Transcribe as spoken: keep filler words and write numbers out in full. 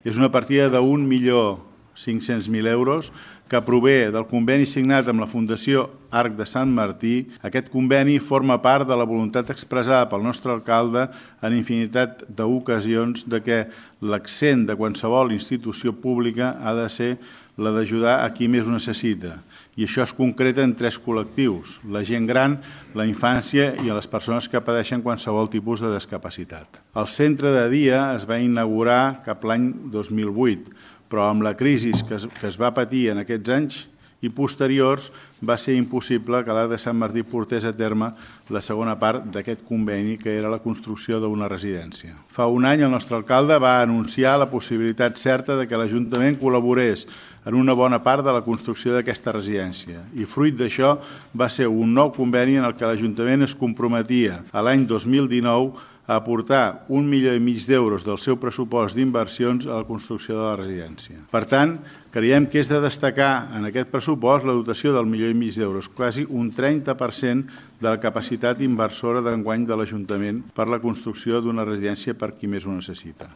És una partida d'un milió cinc-cents mil euros que prové del conveni signat amb la Fundació Arc de Sant Martí. Aquest conveni forma part de la voluntat expressada pel nostre alcalde en infinitat d'ocasions de que l'accent de qualsevol institució pública ha de ser la d'ajudar a qui més ho necessita. I això es concreta en tres col·lectius: la gent gran, la infància i les persones que pateixen qualsevol tipus de discapacitat. El centre de dia es va inaugurar cap l'any dos mil vuit, però amb la crisi que es, que es va patir en aquests anys i posteriors va ser impossible que l'Arc de Sant Martí portés a terme la segona part d'aquest conveni, que era la construcció d'una residència. Fa un any el nostre alcalde va anunciar la possibilitat certa de que l'Ajuntament col·laborés en una bona part de la construcció d'aquesta residència i fruit d'això va ser un nou conveni en el que l'Ajuntament es comprometia a l'any dos mil dinou a aportar un milió i mig d'euros del seu pressupost d'inversions a la construcció de la residència. Per tant, creiem que és de destacar en aquest pressupost la dotació del milió i mig d'euros, quasi un trenta per cent de la capacitat inversora d'enguany de l'Ajuntament per la construcció d'una residència per qui més ho necessita.